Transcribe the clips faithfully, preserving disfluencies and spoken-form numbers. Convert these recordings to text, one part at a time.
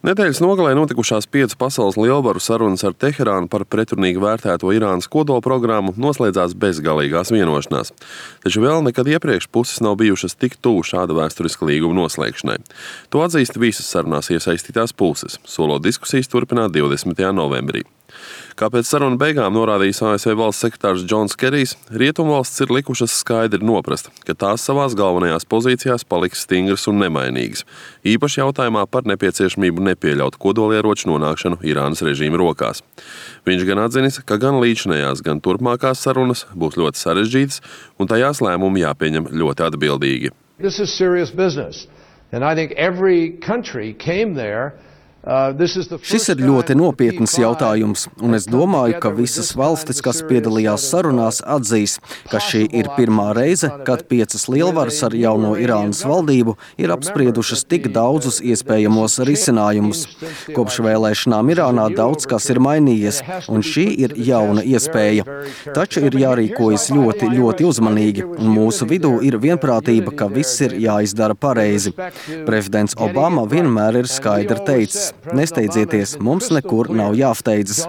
Nedēļas nogalē notikušās piecu pasaules lielvaru sarunas ar Teherānu par pretrunīgi vērtēto Irānas kodolprogrammu noslēdzās bezgalīgās vienošanās. Taču vēl nekad iepriekš puses nav bijušas tik tuvu šāda vēsturiska līguma noslēgšanai. To atzīst visas sarunās iesaistītās puses, solot diskusijas turpināt divdesmitajā novembrī. Kā pēc sarunu beigām norādījis A S V valsts sekretārs Džons Kerijs, rietumvalstis ir likušas skaidri noprast, ka tās savās galvenajās pozīcijās paliks stingras un nemainīgas, īpaši jautājumā par nepieciešamību nepieļaut kodolieroču nonākšanu Irānas režīma rokās. Viņš gan atzinis, ka gan līdzinējās, gan turpmākās sarunas būs ļoti sarežģītas un tajās lēmumi jāpieņem ļoti atbildīgi. This is serious business, and I think every country came there. Šis ir ļoti nopietns jautājums, un es domāju, ka visas valstis, kas piedalījās sarunās, atzīs, ka šī ir pirmā reize, kad piecas lielvaras ar jauno Irānas valdību ir apspriedušas tik daudzus iespējamos risinājumus. Kopš vēlēšanām Irānā daudz kas ir mainījies, un šī ir jauna iespēja. Taču ir jārīkojas ļoti, ļoti uzmanīgi, un mūsu vidū ir vienprātība, ka viss ir jāizdara pareizi. Prezidents Obama vienmēr ir skaidri teicis: nesteidzieties, mums nekur nav jāsteidzas.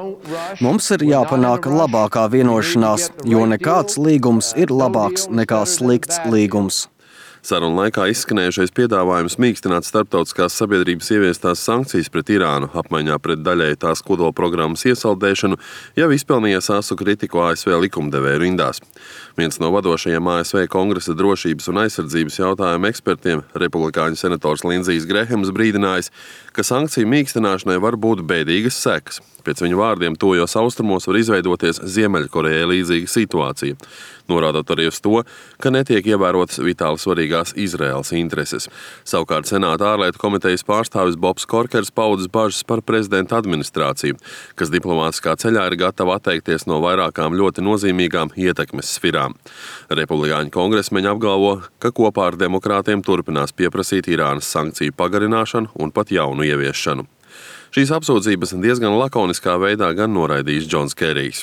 Mums ir jāpanāk labākā vienošanās, jo nekāds līgums ir labāks nekā slikts līgums. Sarunu laikā izskanējušais piedāvājums mīkstināt starptautiskās sabiedrības ieviestās sankcijas pret Irānu apmaiņā pret daļēji tās kodolprogrammas iesaldēšanu jau izpelnījies asu kritiku A S V likumdevēju rindās. Viens no vadošajiem A S V Kongresa drošības un aizsardzības jautājumu ekspertiem, republikāņu senators Lindsijs Grehams, brīdinājis, ka sankciju mīkstināšanai var būt bēdīgas sekas. Pēc viņu vārdiem tojos austrumos var izveidoties Ziemeļkorejai līdzīga situācija, norādot arī uz to, ka netiek ievērotas vitāli svarīgās Izraēlas intereses. Savukārt Senāta ārlietu komitejas pārstāvis Bobs Korkers paudis bažas par prezidenta administrāciju, kas diplomātiskā ceļā ir gatava atteikties no vairākām ļoti nozīmīgām ietekmes sfirām. Republikāņu kongresmeņi apgalvo, ka kopā ar demokrātiem turpinās pieprasīt Irānas sankciju pagarināšanu un pat jaunu ieviešanu. Šīs apsūdzības diezgan lakoniskā veidā gan noraidījis Džons Kerijs.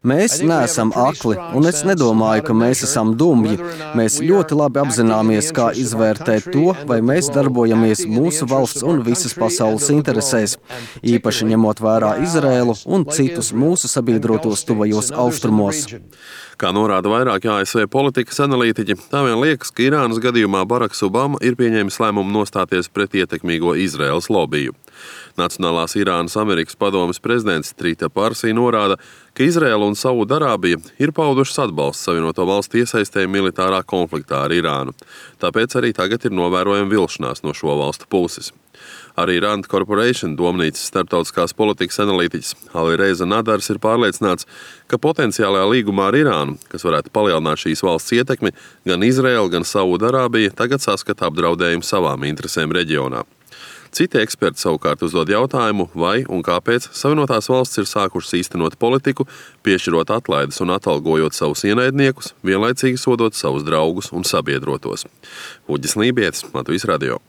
Mēs neesam akli, un es nedomāju, ka mēs esam dumji. Mēs ļoti labi apzināmies, kā izvērtēt to, vai mēs darbojamies mūsu valsts un visas pasaules interesēs, īpaši ņemot vērā Izraēlu un citus mūsu sabiedrotos tuvajos austrumos. Kā norāda vairāki A S V politikas analītiķi, tā vien liekas, ka Irānas gadījumā Baraks Obama ir pieņēmis lēmumu nostāties pret ietekmīgo Izraēlas lobiju. Nacionālās Irānas Amerikas padomes prezidents Trita Parsī norāda, ka Izraēla un Saudarābija ir paudušas atbalstu Savienoto valstu iesaistē militārā konfliktā ar Irānu. Tāpēc arī tagad ir novērojama vilšanās no šo valstu puses. Arī Rand Corporation domnīcas starptautiskās politikas analītiķis Ali Reiza Nadars ir pārliecināts, ka potenciālajā līgumā ar Irānu, kas varētu palielināt šīs valsts ietekmi, gan Izraēla, gan Saudarābija tagad saskata apdraudējumu savām interesēm reģionā. Citi eksperti savukārt uzdod jautājumu, vai un kāpēc Savienotās valstis ir sākušas īstenot politiku, piešķirot atlaides un atalgojot savus ienaidniekus, vienlaicīgi sodot savus draugus un sabiedrotos. Uģis Lībietis, Latvijas radio.